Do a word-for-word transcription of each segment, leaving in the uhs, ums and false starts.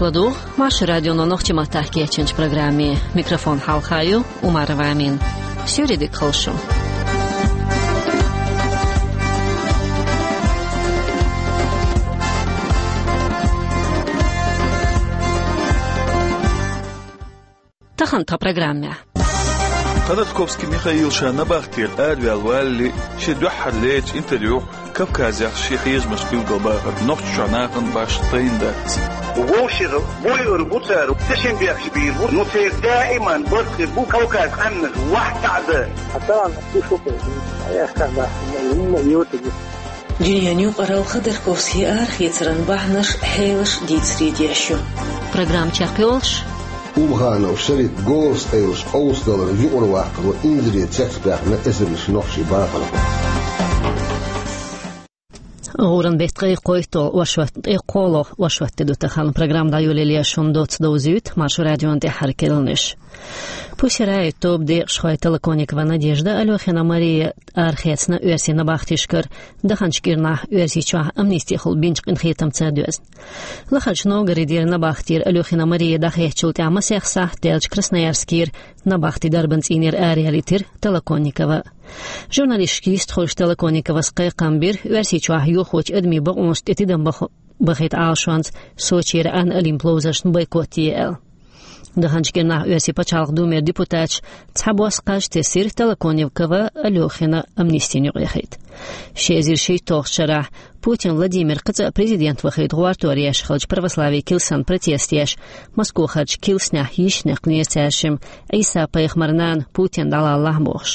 Ладугӏа Маршо радионо нохчийн маттахь кечйинчу программе. Микрофон хьалха ю Умарова Амина. Суьйре дика хуьлда шун. Тахана тхан программехь. Ходорковский Михаил ша набахтера араваьлла валале, шен дуьххьара лерачу интервьюхь Кавказехь шен хьежамаш билгалбахар Нохчийчохь нахана башха тайна дац. Вовшех буйур бу цара, тешнабехкаш бийр бу, ну церан даиман барт хир бу Кавказ къаьмнаш вахь таӀа дан. Хьан тахана ду шуьга, хьан яхкахь бахьана, хӀумма а йоцург. Дуьненан юкъаралла Ходорковскийн арахецаран бахьанаш, хьелаш дийцаре деш ю. Программа чекхйолуш. Умханов Шарип Горас-Ӏелаш къовсадаларан юкъара ваккхаро инзаре цецбаьхна эзарнаш нохчийн бахархой. ГӀуран беттан ткъе кхойтталгӀа оршот, ткъе кхоалгӀа оршот де ду тахана. Программа дӀайолале шуна доцца довзуьйту Маршо радион тӀаьххьара керланаш. Пусирай тоба декъашхой Толоконникова Надежда, Алёхина Мария арахецна оьрсийн набахтешкара, даханчу кӀирнахь Оьрсийчохь амнистехула бинчу къинхетамца доьзна. Лахарчу Новгородера набахтера Алёхина Мария дӀахецначул тӀаьхьа масех сахьт даьлча Красноярскера набахтин дарбан цӀийнера араяьллийтира Толоконникова. Журналисташка йистхуьлуш Толоконниковас кхайкхам бира, Оьрсийчохь йохочу адамийн бакъонашна тӀе тидам бах-, бахийта Ӏалашонца Сочера Ӏан олимпийн ловзаршна бойкот е аьлла. Даханчу кӀирнахь Оьрсийн пачхьалкхан думера депутаташ цхьабосса кхаж тесира Толоконникова Алёхина амнистина юкъаяхийта. Ши эзар шийтталгӀачу шарахь Путин Владимир кхин цкъа президент вахийта гӀортор еш хиллачу православийн килсан протест еш, Москвахарчу килснехь йиш некънера цаьршимма, Ӏийса-пайхамаран нана Путин дӀалалахь бохуш.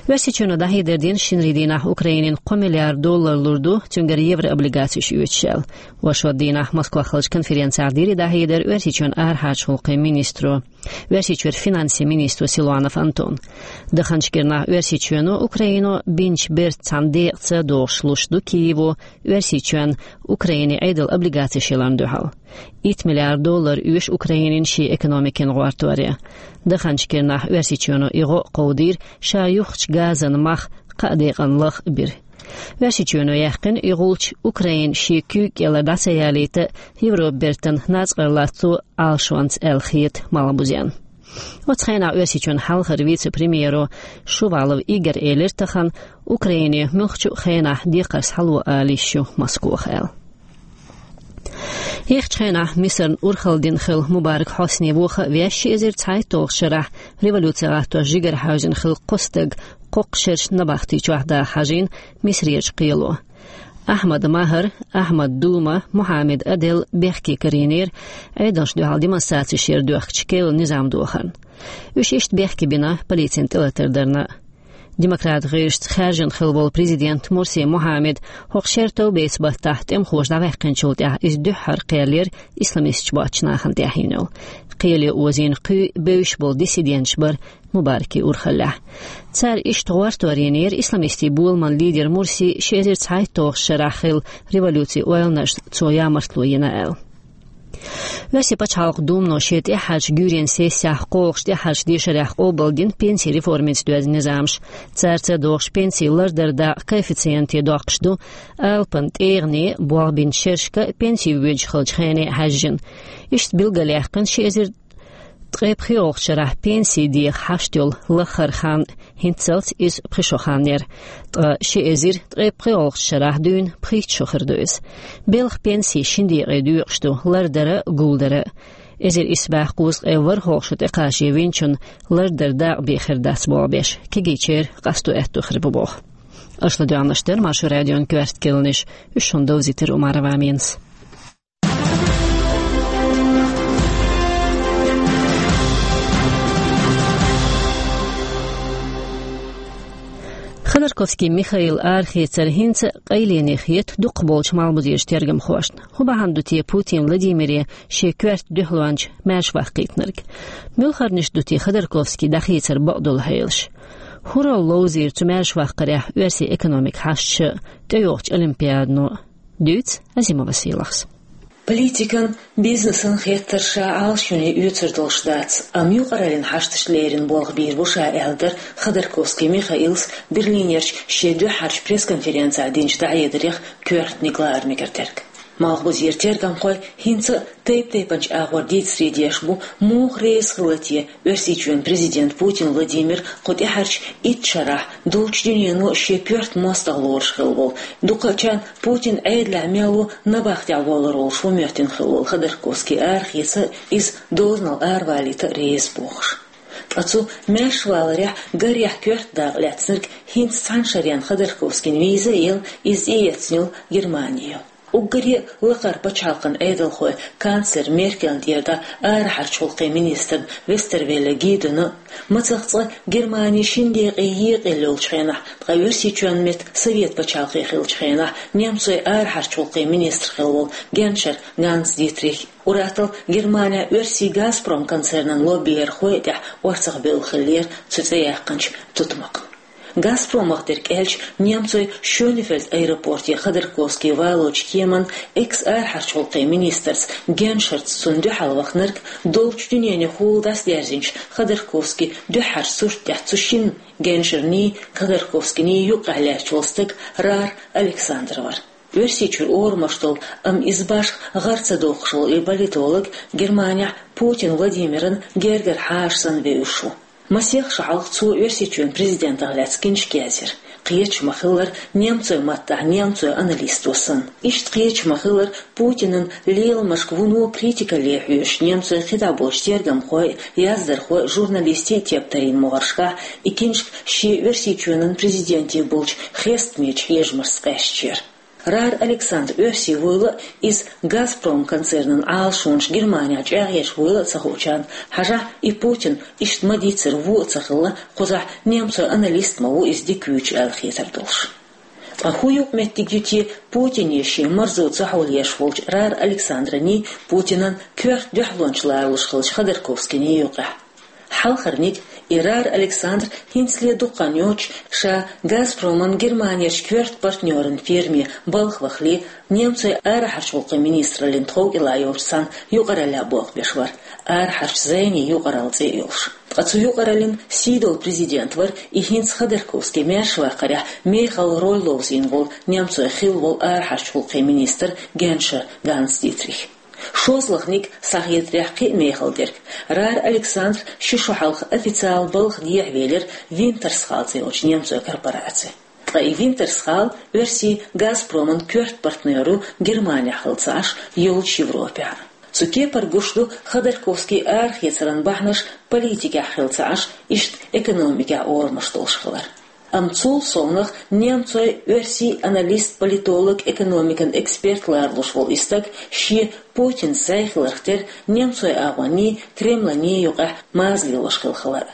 Оьрсийчоьно дӀахьедар дина шинарин дийнахь Украинина кхо миллиард доллар лур ду, цуьнгара еврооблигацеш оьцуш аьлла. Оршот дийнахь Москвахь хиллачу конференцехь дира и дӀахьедар Оьрсийчоьнан арахьарчу гӀуллакхийн министро, Оьрсийчуьра финансийн министро Силуанов Антона. Даханчу кӀирнахь Оьрсийчоьно Украино бинчу бертан цхьана декъаца догӀуш луш ду Киево Оьрсийчоьнна Украине Ӏедалан облигацеш яларна дуьхьал. Итт миллиард доллар оьшу Украинина шен экономикин гӀортор е. Даханчу кӀирнахь Оьрсийчоьно и гӀо а кховдийра, ша юххучу газан мах кхаа декъана лаха а бира. Оьрсийчоьно яьккхина и гӀулч Украина шен куьйга кӀелара дӀа ца ялийта, Европан бертан нацкъарлацо Ӏалашонца аьлла хета малхбузенна. Оцу хенахь Оьрсийчоьнан хьалхара вице-премьеро Шувалов Игорь элира тахана, Украине муьлххачу а хенахь декхар схьало ала йиш ю Москвахь аьлла. Ехачу хенахь Мисарна урхалла дина хилла Мубарак Хьосни вохавеш, ши эзар цхьайтталгӀачу шарахь революци гӀаттош жигара хьаьвзина хилла кхо стаг кхоккхуш шераш набахти чохь даха хьажийна Мисарерчу кхело. Ахьмад Махар, Ахьмад Дума, Мухьаммед Адел бехке карийнера, Ӏедалшна дуьхьал демонстрацеш яра доьхкучу керла низам дохарна. Уьш иштта бехке бина полицин тӀелатар дарна. Демократ гӀирсашца хаьржина хилла волу президент Мурси Мухьаммед хӀокху шеран товбеца баттахь тӀемахоша дӀаваьккхинчул тӀаьхьа иза дуьххьара кхел яра исламисташ боцчу нахана тӀехь йина йолу. Кхеле озийна кхуьй бевзаш болу диссиденташ бара Мубаракан урхаллехь. Цара иштта гӀортор йинера исламистийн боламан лидер Мурси ши эзар цхьайтталгӀачу шарахь хилла революцин ойланашна цо ямартло йина аьлла. Оьрсийн пачхьалкхан Думано шен тӀаьххьарчу гуьйренан сессехь кхоалгӀачу тӀаьххьарчу дешарехь къобалдина пенсийн реформица доьзна низамаш. Цаьрца догӀуш пенсийн лардаран дакъа коэффициенте доккхуш ду, алапан тӀегӀане болх бинчу шерашка пенси воьдуш хиллачу хене а хьаьжжина. Иштта билгалъяьккхина ши эзар ткъе пхоьалгӀачу шарахь пенсийн деха хьашт йолу лаххара хан, хӀинццалц иза пхи шо хан яра. Ткъа ши эзар ткъе пхоьалгӀачу шарахь дуьйна пхийтта шо хир ду иза. Белхан пенси шина декъе доькъуш ду, лардара а, гулдара а. Эзар исс бӀе кхузткъе ворхӀалгӀа шо тӀекхачийна винчунна лардаран дакъа бен хир дац болх беш, кегийчеран къасто аьтто хир бу боху. Аша ладоьгӀнарш дара Маршо радион коьрта керланаш, уьш шуна довзийтира Умарова Аминас. Ходорковский Михаил арахецар хӀинца а къайлене хета дукхахболчу малхбузерчу тергамхошна. ХӀун бахьана ду те Путин Владимире шен коьрта дуьхьалонча маьршаваккха кхийтинарг? Муьлхарнаш ду те Ходорковский дӀахецаран бакъдолу хьелаш? ХӀун роль ловзийра цу маьршаваккхарехь оьрсийн экономикан хьашташа, тӀейогӀучу олимпиадано? Дуьйцу Азимова Сийлахьас. Политикан, бизнесан хеттарш ша Ӏалашъюьне оьцур долуш дац, амма юкъараллин хьашташна леррина болх бийр бу ша, аьлла дара Ходорковский Михаилс Берлинерчу шен дуьххьарчу пресс-конференцехь динчу дӀахьедарех коьртаниг лаар мегар дерг. Малхбузера тергамхой хӀинца а тайп-тайпанчу агӀор дийцаре деш бу, муха реза хилла те Оьрсийчоьнан президент Путин Владимир кху тӀаьхьарчу итт шарахь долчу дуьнено шен коьрта мостагӀа лоруш хилла волу, дукхачарна Путин Ӏедалехь мел ву набахтехь воллур волуш ву моьттина хилла волу Ходорковский арахеца а, иза дозанал аравалийта а реза бохуш. Ткъа цу маьршаваларехь гарехь коьрта дакъа лаьцнарг хӀинца цхьана шарна Ходорковскийна виза а елла, иза тӀеэцна йолу Германи ю. Уггаре а лакхара пачхьалкхан Ӏедалхой, канцлер Меркель тӀера дӀа арахьарчу гӀуллакхийн министрна Вестервелле Гидона а, мацах цкъа Германи шина декъе екъаелла йолчу хенахь, ткъа Оьрсийчоьнан метта Совет пачхьалкх хиллачу хенахь немцойн арахьарчу гӀуллакхийн министр хилла волу Геншер Ганс Дитрих, уьттазза Германехь оьрсийн «Газпром» концернан лоббийрхой а тӀехь орцахбевлла хиллера цу цӀе яьккхинчу тутмакхна. «Газпромах» дерг аьлча, немцойн Шёнефельд аэропорте Ходорковский валочу кеманна экс-арахьарчу гӀуллакхийн министрца Геншерца цунна дуьхьал вахнарг долчу дуьненан хьолах дӀасадаьржинчу Ходорковскийн дуьххьарчу сурт тӀехь цу шинна, Геншерний, Ходорковскийний юккъехь лаьтташ волу стаг Раар Александр вара. Оьрсийчуьра орамаш долу, амма иза башха гӀара ца доккхуш волу и политолог Германехь Путин Владимиран гергара хьаша санна вевзаш ву. Масех шо хьалха цо Оьрсийчоьнан президентах лаьцна киншка язйира. Кхеташ ма-хиллара, немцойн маттахь немцойн аналисто санна. Иштта кхеташ ма-хиллара, Путинан леламашка вуно критикалле хьоьжуш немцойн кхидӀа болчу тергамхой а, яздархой а, журналистий а тептарийн могӀаршкахь и киншка шен Оьрсийчоьнан президенте болчу хестамечу хьежамашца къаьсташ яра. Раар Александр оьрси вуйла а, иза «Газпром» концернан Ӏалашонаш Германехь чӀагӀъеш вуйла а ца хуучарна хьажахь, и Путин иштта ма-дийццара вон а ца хилла, кхузахь немцойн аналист ма ву иза дика вуьйцуш аьлла хетар долуш. Ткъа хӀун юкъаметтиг ю те Путине шен марзо ца хьулъеш волчу Раар Александрний, Путинан коьрта дуьхьалонча ларалуш хиллачу Ходорковскийний юкъехь? Хьалхарниг, и Раар Александр хӀинцале дукха хан йоцуш ша «Газпроман» Германерчу коьрта партнёран фирме балха вахале, немцойн арахьарчу гӀуллакхийн министраллин тхов кӀелахь йолчу цхьана юкъараллехь болх беш вара, арахьарчу зайний юкъаралла цӀе а йолуш. Ткъа цу юкъараллин сийдолу президент вара и хӀинца Ходорковский маьршаваккхарехь мехала роль ловзийна волу немцойн хилла волу арахьарчу гӀуллакхийн министр Геншер Ганс Дитрих. ШозлагӀниг, схьахетарехь кхин а мехала дерг, Раар Александр ши шо хьалха официалан балха дехьавелира «Винтерсхал» цӀе йолчу немцойн корпораци. Ткъа и «Винтерсхал» оьрсийн «Газпроман» коьрта партнёр ву Германехь хилла ца Ӏаш, йолчу Европехь а. Цу кепара гуш ду Ходорковскийн арахецаран бахьанаш политикехь хилла ца Ӏаш, иштта экономикехь орамаш долуш хилар. Амма цул совнаха немцойн, оьрсийн аналист, политолог, экономикан эксперт ларалуш волу и стаг шен, Путинца зӀе хиларх терра, немцойн агӀонний, Кремланий юкъехь маза лелош хилла хилар.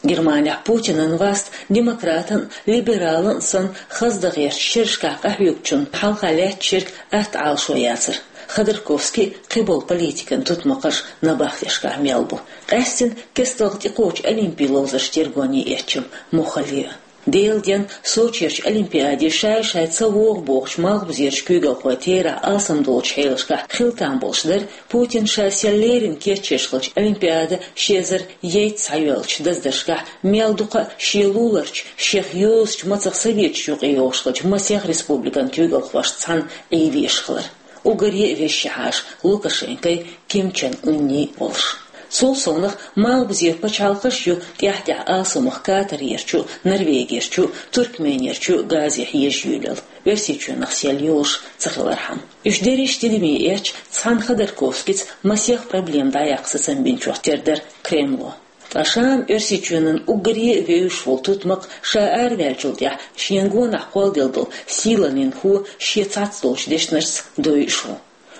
Германехь Путинан васт демократан а, либералан а санна, хаза дан гӀертачу шерашкахь къахьоьгучунна хьалха лаьтташ ерг атта Ӏалашо яцара. Ходорковский а, кхиболу политикан тутмакхаш а набахтешкахь мел бу. Къаьстина кестта тӀекхочу олимпийн ловзарш тергоне эцча муххале а. Делан денна Сочерчу олимпиаде шай-шай ца вогӀу бохучу малхбузерчу куьйгалхойн терахь алсамдолчу хьелашкахь хила там болуш дара, Путин ша сел леррина кечъеш хиллачу олимпиада ши эзар ейтта схьайоьллучу даздаршкахь мел дукха а шен луларчу, шех йозучу мацах Советаш юкъе йогӀуш хиллачу масех республикан куьйгалхошца цхьаьна Ӏийвеш хилар. Уггаре а везаш хьаша Лукашенкой, Ким Чен Ынний волуш. Цул совнаха малхбузера пачхьалкхаш а ю тӀаьхь-тӀаьхьа алсамох Катарерчу а, Норвегерчу а, Туркменерчу а газе хьежа юьйлалла, Оьрсийчоьнах сел йолуш ца хилархьама. Уьш дерриш а тидаме эцча, цхьана Ходорковскийца масех проблема дӀаяккха сацам бинчух тера дара Кремло. Ткъа ша-м Оьрсийчоьнан уггаре а вевзаш волу тутмакх ша араваьллачул тӀаьхьа шена гонахь кхолладелла долу сийлаллин хӀу шен цхьацца долчу дешнашца дойуш ву.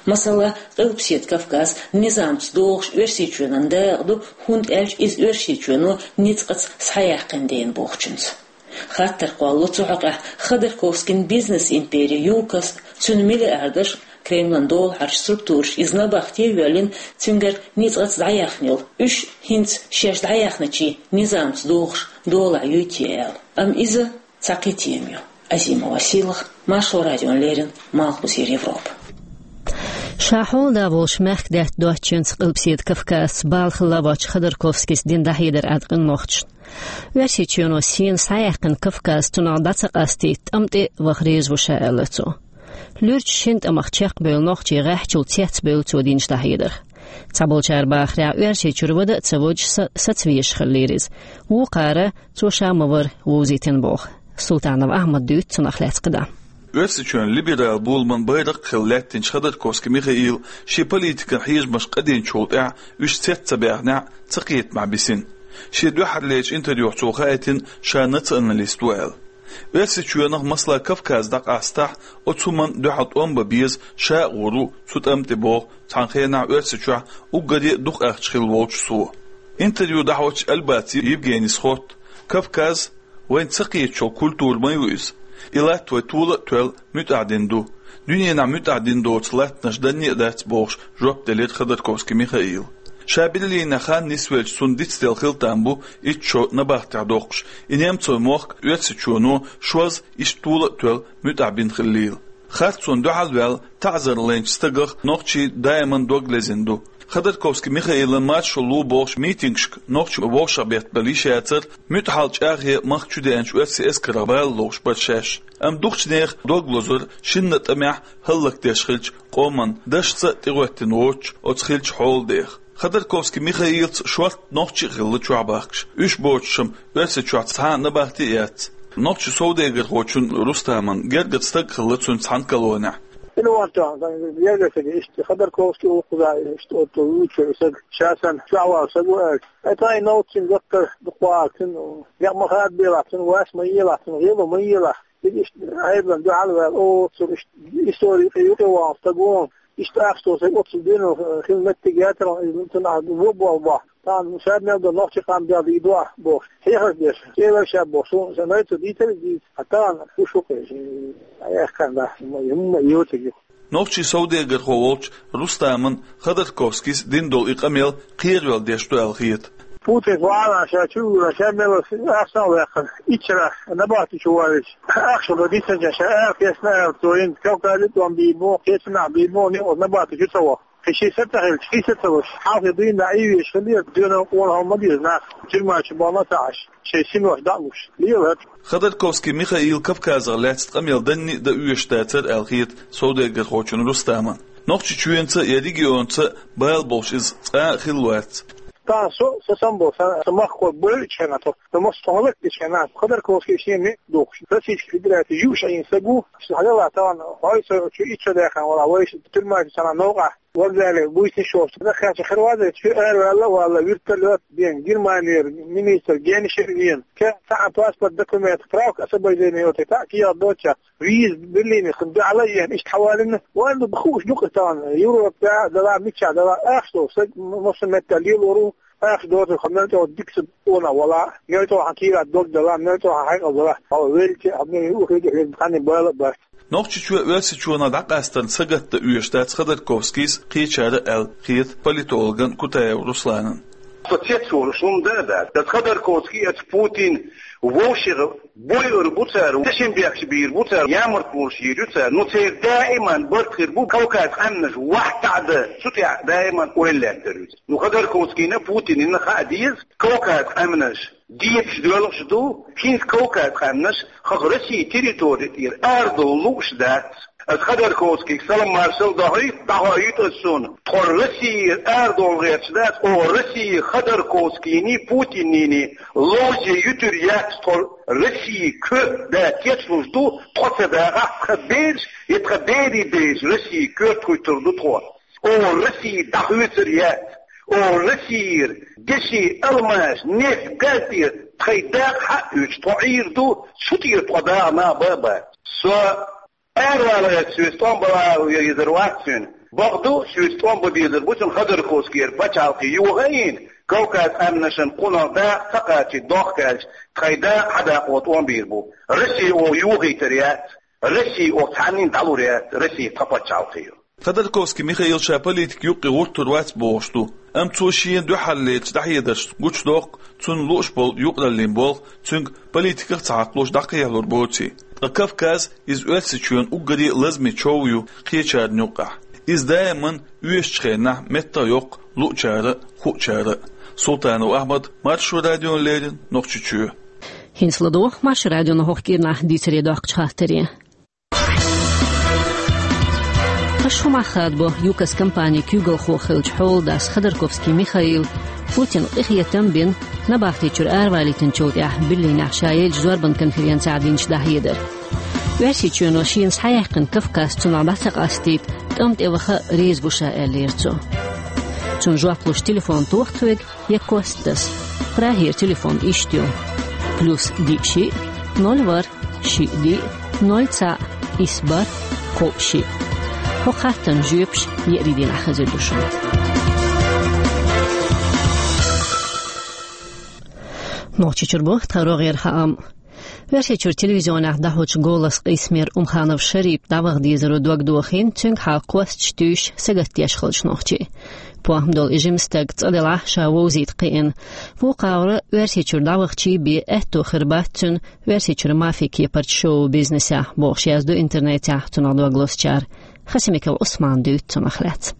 Масала, Къилбаседа Кавказ низамца догӀуш Оьрсийчоьнан дакъа ду, хӀунда аьлча иза Оьрсийчоьно ницкъаца схьаяьккхина дела бохучуьнца. Хаттар кхоллало цу хьокъехь Ходорковскийн бизнес-импери ЮКОС, цуьнан миллиардаш, Кремлан долахьарчу структураш иза набахте а воьллина, цуьнгара ницкъаца дӀаяьхна йолу, уьш хӀинца шаьш дӀаяьхначийн низамца догӀуш долахь юй те аьлла. Амма иза цхьа кхин тема ю. Азима Василах, Маршо радиона леррина, Малхбузера Европа. Ша хьолада волуш мехкдаьтта доцучуьнца Къилбаседа Кавказца бала хилла воцчу Ходорковскийс дина дӀахьедар Ӏад къинлохчашна. Оьрсийчоьно сийна схьаяьккхина Кавказ цунах дӀа ца къастийта, тӀам тӀе а ваха реза ву ша, аьлла цо. Луьрачу шина тӀамах чекхбевлла нохчий гӀеххьачул цецбевлла цо динчу дӀахьедарх. Цхьаболчара бахарехь, Оьрсийчуьра вада а ца водуш са-, сацавезаш хиллера иза. Вукхара цо ша ма вара вовзийтина боху. Султанов Ахьмада дуьйцу цунах лаьцна кхидӀа. Оьрсийчоьнан либерал боламан байракх а хилла лаьттинчу Ходорковский Михаила шен политикан хьежамаш къадинчул тӀаьхьа уьш цец ца баьхнехь а, цакхетамехь бисина. Шен дуьххьарлерчу интервьюхь цо хаийтина, ша националист ву аьлла. Оьрсийчоьнах, масала, Кавказ дӀакъастахь, оцу хӀуманна дуьхьал тӀом бан беза ша а гӀур ву цу тӀам тӀе, боху цхьана хенахь Оьрсийчохь уггаре а дукха ахча хилла волчу цо. Интервью дӀахьочу Альбаци Евгенис хотту: «Кавказ вайна ца кхетачу культура ма ю иза. И латта вай тола а тоьлла муьтӀахь дина ду. Дуьненахь муьтӀахь дина доцу латтанаш данне а дац», — бохуш, жоп делира Ходорковский Михаила. Ша Берлинехь хан нисвелча, цунна дицделла хила там бу итт шо набахтехь доккхуш, и немцойн мохк Оьрсийчоьно шозза иштта тола а тоьлла муьтӀахь бина хиллийла. Харцонна дуьхьал а ваьлла, таӀзар лайначу стагах нохчий даиман дог лезина ду. Ходорковский Михаилан маршо ло бохуш митингашка нохчий вовшахбеттабелла йиш яцара, муьтӀахьалла чӀагӀъе махка чу деанчу оьрсийн эскарх бала ловш бара шаьш. Амма дукхачу нехан дог лозура шинна а тӀамехь хӀаллакдеш хиллачу къоман дашца а тӀехӀоьттина воцучу оцу хиллачу хьолан деха. Ходорковский Михаилца шортта нохчи а хилла чохь бахкаш. Уьш боцуш-м Оьрсийчохь цхьа а набахти а яц. Нохчийн совдегархочун Рустаман гергара стаг а хилла цуьнца цхьана колонехь. Ина ван тоьхна, сан гергара стаг, иштта Ходорковский ву кхуза, иштта оццул вуьйцуш верг стаг, ша санна чохь вала стаг ву аьлча. Ай, тхайн новкъа цуьнан гаттара дукха вагӀа цуьнан, некъ ма хадабелахь цуьнан, вас ма елахь цуьнан, гӀело ма елахь. Иза иштта Ӏедална дуьхьал а ваьлла, оццул иштта истори юкъе вахана стаг ву, иштта ахча долу стаг оццул дуьйна хила меттиг яцара, иза цунах вон болх бо. Тахана ша мел долу нохчийн къам бел дийр ду ахь бохуш, хьехарш деш, кӀелара ша бохуш, суна сан найца дийцар иза дийца. Хьан тахана хӀуш ву кхин, ша яхкана дац, хӀумма а йоцург ю. Нохчийн совдегархо волчу Рустаман Ходорковскийс дина долу и къамел кхеравелла деш ду аьлла хета. Путин вахана ша чу а вуьйла, ша мел ахча а ваьккхина, иччарах набахти чу валийча, ахча ма дисинча, ша ара кхечна аьлла, цо йина Кавказе тӀом бийр бу, кхечанахь бийр бу, некъа набахти чу ца ваха. Кхин ши са ца хилча, ши са ца луш, хьалхе дуьйна дӀа ийвеш хилира, доьналла къонахалла ма деза нах, тюрьма чу бахана ца Ӏаш, шайн синош дӀа а луш. Лела хӀара. Ходорковский Михаила Кавказах лаьцна къамел данне а дан оьшуш дацара аьлла хета совдегархочун Рустаман. Нохчийчоьнца я регионца бала болуш иза цкъа а хилла вац. Тахана со, со сам бо, сан, сан махкахой бойучу хенахь, со, сан массо а хӀаллакдечу хенахь, Ходорковский шен некъ дохуш, Российский Федераци юуш Ӏийна стаг ву, сан хьалела тахана, хьой со чу итт шо даьхна вала, вайша тюрьма чу цхьана новкъахь, вокзале буьйсанаш йолуш, даххаьчча хир ваза, чу араваьлла а валла, вертолёт бен, Германера министр Геншер вен, ке цхьаъ паспорт, документ, справка освобождения йоцург, цхьаъ кехат доцуш, виза Берлинера дуьхьал а еана, иштта хьавалийна, вайн ду хууш ду-кх тахана, Европа тӀехь а дала, миччахь дала, ахча долу стаг, м-, массо а меттехь лелор ву, ахча доцург, хьо мел чӀогӀа дика стаг ву, вала, мел чӀогӀа хьан кийрахь дог дала, мел чӀогӀа хьан хьекъал дала, хьо велча а, хьо мел юххе а хир, цхьанна бала а бац. Нохчийчоь Оьрсийчоьнах дӀакъастарна сагатдан оьшуш дац Ходорковскийс кхечара аьлла хета политологан Кутаев Русланан. Со цецволуш хӀума дан а дац. Аса Ходорковский, аса Путин вовшех бойур бу цара, дешнабехкаш бийр бу цара, ямартлонаш йийр ю цара. Ну, церан даиман барт хир бу Кавказ къаьмнаш вахтаӀда, цу тӀехь даиман ойла лаьттар ю. Ну, Ходорковскийна, Путинна хаа деза, Кавказ къаьмнаш дебаш доьлхуш ду, хӀинца Кавказ къаьмнаш хӀокху Россин территори тӀера арадовла лууш дац. Аса Ходорковскийга салам-маршалла дохуьйту, дӀахоуьйту аса шуна. Тхо Россера арадовла гӀерташ дац, оха Росси Ходорковскийний, Путиннийний ловзе юьтур яц, тхо Россин коьрта да кечлуш ду, тхо ца дахахь, тхан бераш я тхан берийн бераш Россин коьрта хӀуьттур ду тхо. Оха Росси дӀахоьцур яц. Оха Россера деши, алмаш, нефть, газ тӀера тхайн дакъа хьаоьцуш тхо Ӏийр ду, цу тӀера тхо даха нах бан а бац. Со аравала гӀерташ, соьца тӀом бан везар вац цуьнан. Бакъду, соьца тӀом бан безар бу цуьнан Ходорковскера пачхьалкхе йоха а йина, Кавказ къаьмнашна кхунах дакъа ца кхачийта дохка аьлча, тхайн дакъа хьадаккха тӀом бийр бу. Росси оха йохийтар яц. Росси оха цхьаннина дӀалур яц, Росси тхан пачхьалкх ю. Ходорковский Михаил ша политик юккъе гӀуртур вац бохуш ду, амма цо шена дуьххьарлерчу дӀахьедаршца гучудоккху цунна лууш болу юкъараллин болх, цуьнга политиках а ца хьакхалуш дӀакхехьалур боций. Ткъа Кавказ, иза Оьрсийчоьнан уггаре а лазаме чов ю кхечарна юккъехь. Иза даиман оьшучу хенахь меттах йоккху луучара а, хуучара а. Султанов Ахьмад, Маршо радиона леррина, Нохчийчоь. ХӀинца ладогӀа Маршо радион хӀокху кӀирнахь дийцаре доккхучу хаттаре. Шо мах хадабо, ЮКОС компанин куьйгалхо хиллача хьолдас Ходорковский Михаила Путина къинхетам бина, набахти чура аравалийтинчул тӀехьагӀа Берлинехь ша еллача зорбан конференцехь динчу дӀахьедар. Оьрсийчоьно шена схьаяьккхина Кавказ цунах дӀа ца къастийта, тӀам тӀе ваха реза ву ша, аьллера цо. Цунна жоп луш телефон тоха тхоьга, я кост таса. Прагера телефон иштта ю: плюс диъ шиъ, ноль ворхӀ, шиъ диъ, ноль цхьаъ, исс бархӀ, кхоъ шиъ. ХӀокху хаттарна жоьпаш еарин дийнахь хезар ду шуна. Нохчийчуьра бу тхан рогӀера хаам. Оьрсийчуьра телевизионехь дӀахьочу «Голос» къийсамера Умханов Шарип дӀаваха дезаро дог дохийна, цуьнгахьа кхоссачу туьйсуш сагатдеш хиллачу нохчийн. ПохӀма долу и жима стаг цӀа делахь а ша вовзийта кхиъна. Вукху агӀора Оьрсийчуьра дӀавахча бен аьтто хир бац цуьнан Оьрсийчуьра мафи кепарчу шоу-бизнесехь, бохуш яздо интернетехь цунах дог лозучара. Хасимиков Ӏусмана дуьйцу цунах лаьцна.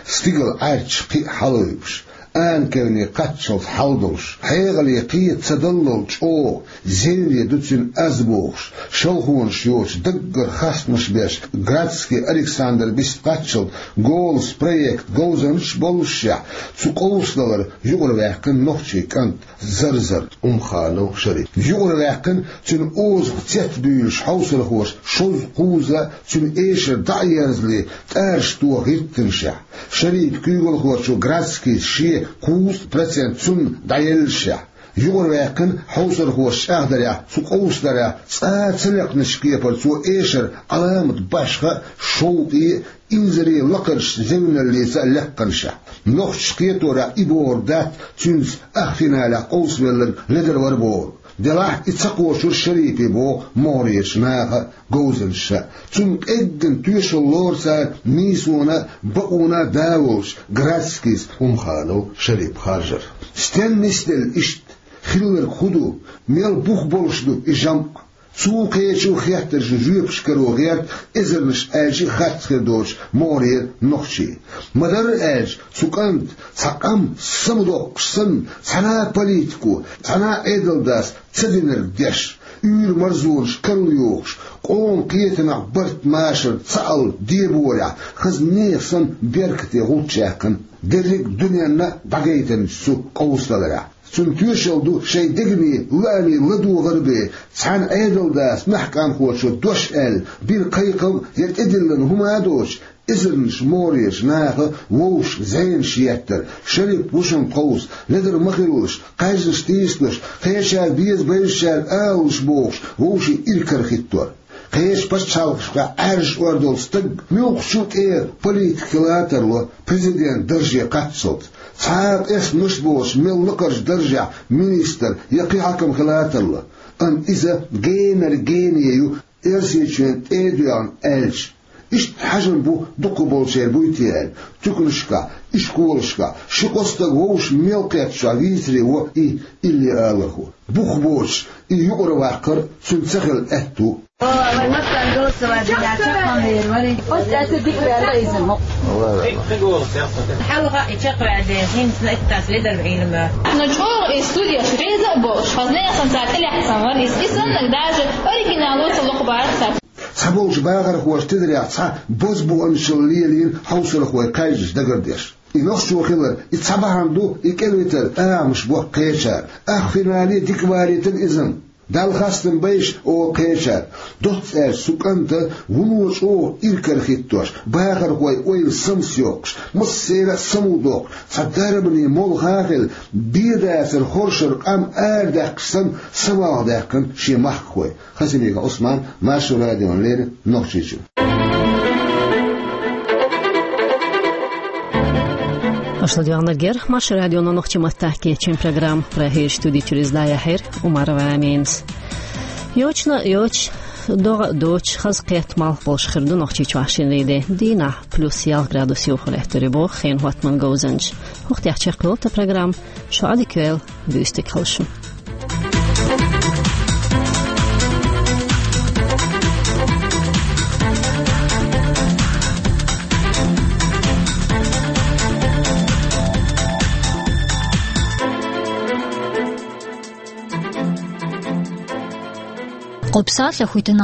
Стигала Ӏаьрча кхин а хьалайбуш, анкевне кхаччалц хьал долуш, хьекъале кхета ца даллал чӀогӀа, зевне ду цуьнан аз бохуш, шалхонаш йоцуш, даггара хастамаш беш, Градский Александр бист кхаччалц «Голос» проект говзанчаш боллушехь, цу къовсадалар юкъара ваьккхина нохчийн кӀант Зарзар Умханов Шарип. Юкъара ваьккхина цуьнан озах цецбуьйлуш хьовсархоша шозза кхузза цуьнан эшар дӀа а ерзале, тӀараш тоха хӀиттинашехь, Шарипан куьйгалхочо Градскийс шен кхузткъа процент цунна дӀаеллашехь, юкъара ваьккхина хьовсархоша чӀагӀдарехь, цу къовсадарехь цкъа а ца лекхначу кепара цо эшар Ӏаламат башха а, шовкъе а, инзаре лакхарчу зевналлица а лекханашехь. Нохчаша кхеторехь и бохург дац цуьнца ахфиналехь къовсавелларг ледара вара бохург. Делахь и ца кхочура Шарипе боху могӀарерчу наха а, говзанчаша а. Цунна къеггина тоьшалла лору цара нийсонан а, бакъонан а да волчу Градскийс Умханов Шарип харжар. Стенна нисделла иштта? Хилларг хӀун ду? Мел бух болуш ду и жамӀ? Цо кхечу хеттаршна жоьпаш каро гӀерта эзарнаш аьлча а харц хир доцуш могӀарера нохчий. Ма-дарра аьлча, цу кӀанта цхьа къам самадоккхуш санна, цхьана а политико, цхьана а Ӏедалдас ца динарг деш, уьйр-марзонаш карла йохуш, къоман кхетамехь барт-машар ца алла деборехь, хаза нехан санна беркате гӀулч яьккхина, дерриг а дуьненна а дӀагайтинчу цу къовсадаларехь. Цуьнан тоьшалла ду шайн дегнийн лаамийн ладогӀар бен, цхьана Ӏедалдас маьхкамхочо дош аьлла, бина кхайкхам я тӀедиллина хӀума а доцуш, эзарнаш могӀарерчу наха вовшашка зенаш еттар, Шарип ву шуна тховса, ледара ма хилалаш, кхаьжнаш тийсалаш, кхечаьрга беза-безачаьрга алалаш бохуш, вовшийн иракарахӀиттор. Кхечу пачхьалкхашкахь Ӏаьржа ор долу стаг муьлххачу тӀера политик хила а тарло президент дарже кхаччалц. Цхьа а къестамаш а боцуш мел лакхарчу даржехь министр я кхин хьаькам хила а тарло. Амма иза генара гене ю, Оьрсийчоьнан тӀе а доьгӀна аьлча. Иштта хьажам бу дукхахболчеран буй те аьлла, туьканашкахь, ишколашкахь ши-кхо стаг вовшашка мел кхеттачохь вийцаре во и илли алархо. Бух боцуш и юкъара ваккхар цуьнан ца хилла аьтто ву. О, вай массарна голосовать дина, чекхвалийра вари. Оцу аьтто дика ваьлла иза мо. Хьалха и чекхваьлла, хӀинца иттас ледар Ӏилма. Ну, чӀогӀа и студеш реза а болуш, хаза нехан цара тӀелаьцна вара иза. И саннарг даже оригинало ца лохбара цара. Цхьаболчу бахархоша тидарехь цхьа бозбуунчалла лелийна хьовсархой кхаьжнаш дагардеш. И нохчо хилар, и цхьа бахьана ду, и кӀелвитар агӀонаш бо кхечара. Ахфинале дика валийтина иза. Далла хастам бойла, олу кхечара. Доцца аьлча, цу кӀанта вуно чӀогӀа иракарахӀиттош, бахархойн ойла самсайоккхуш, массеран а самукъадоккхуш, цхьа дарбане молха а хилла, бен дацара хоршара къам арадаьккхича санна, самукъадаьккхина шен махкахой. Хасимиков Ӏусман, Маршо радиона леррина, Нохчийчуьра. Аша ладоьгӀнарг яра Маршо радион нохчийн маттахь кечйина программа. Прагерчу студи чуьра иза дӀаяьхьира Умарова Аминас. Йочана а йоцуш, догӀа а доцуш, хаза кхетта малх болуш хир ду Нохчийчохь шинарин де. Дийнахь плюс ялх градус йовха лаьттар ю боху хенан хӀоттаман говзанчаша. ХӀокху тӀехь чекхйолу тхан программа. Шу Ӏадика йойла, буьйса дика хуьлда шун. Кху псалъа хуьйтина